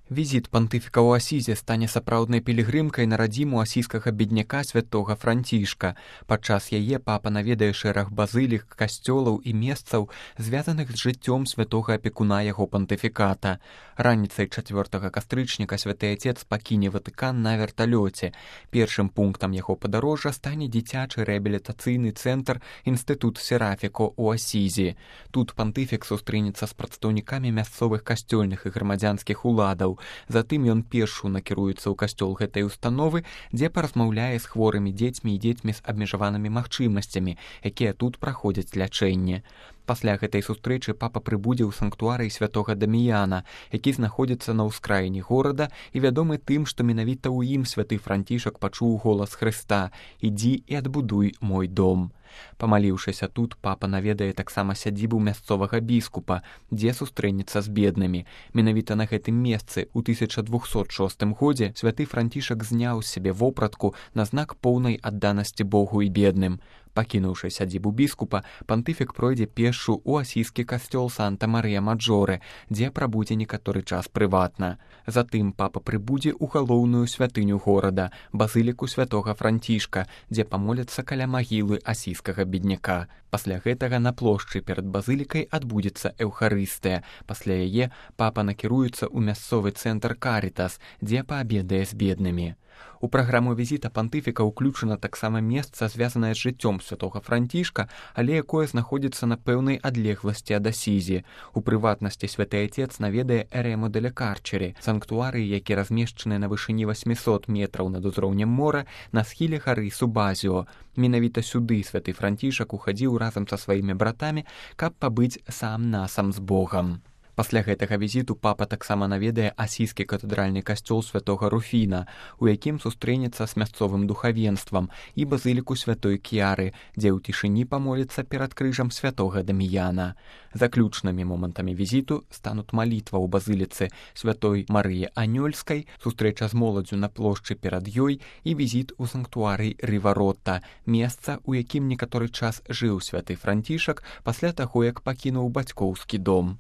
Візіт пантыфіка ў Асізе стане сапраўднай пілігрымкай на радзіму асійскага бедняка святога Францішка. Падчас яе папа наведае шэраг базылік, касцёлаў і месцаў, звязаных з жыццём святога апекуна яго пантыфіката. Раніцай 4 кастрычніка святы Отец пакіне Ватыкан на верталёце. Першым пунктам яго падарожжа стане дзіцячы рэабілітацыйны цэнтр Інстытут Серафіко ў Асізе. Тут пантыфік сустрэнецца з прадстаўнікамі мясцовых касцёльных і грамадзянскіх уладаў. Затым ён пешшу накіруецца ў касцёл гэтай установы, дзе паразмаўляе з хворымі дзецьмі і дзецьмі з абмежаванымі магчымасцямі, якія тут праходзяць лячэнне. Пасля гэтай сустрэчы папа прыбудзе ў санктуарый святога Даміяна, які знаходзіцца на ўскраіне горада і вядомы тым, што менавіта ў ім святы Францішак пачуў голас Хрыста: «Ідзі і адбудуй мой дом». Памаліўшыся тут, папа наведае таксама сядзібу мясцовага біскупа, дзе сустрэнецца з беднымі. Менавіта на гэтым месцы ў 1206 годзе святы Францішак зняў з сябе вопратку на знак поўнай адданасці Богу і бедным. Пакінуўшы сядзібу біскупа, пантыфік пройдзе пешшу ў асійскі касцёл Санта-Марыя-Маджорэ, дзе прабудзе некаторы час прыватна. Затым папа прыбудзе ў галоўную святыню горада, базыліку святога Францішка, дзе памоляцца каля магілы асійскага бедняка. Пасля гэтага на плошчы перад базылікай адбудзецца эўхарыстыя. Пасля яе папа накіруецца ў мясцовы цэнтр Карітас, дзе паабедае з беднымі. У праграму візіта пантыфіка ўключана таксама месца, звязанае з жыццём святога Францішка, але якое знаходзіцца на пэўнай адлегласці ад Асізі. У прыватнасці святы Отец наведае Эрему деля Карчері, санктуарый, які размешчаны на вышыні 800 метраў над узроўнем мора на схіле гары Субазіо. Менавіта сюды святы Францішак ухадзіў разам са сваімі братамі, каб пабыць сам-насам з Богам. Пасля гэтага візіту папа таксама наведае асійскі катэдральны касцёл святога Руфіна, у якім сустрэнецца з мясцовым духавенствам, і базыліку святой Кіяры, дзе ў цішыні памоліцца перад крыжам святога Даміяна. Заключнымі момантамі візіту стануць малітва ў базыліцы святой Марыі Анёльскай, сустрэча з моладзю на плошчы перад ёй і візіт у санктуарый Рываротта, месца, у якім некаторы час жыў святы Францішак пасля таго, як пакінуў бацькоўскі дом.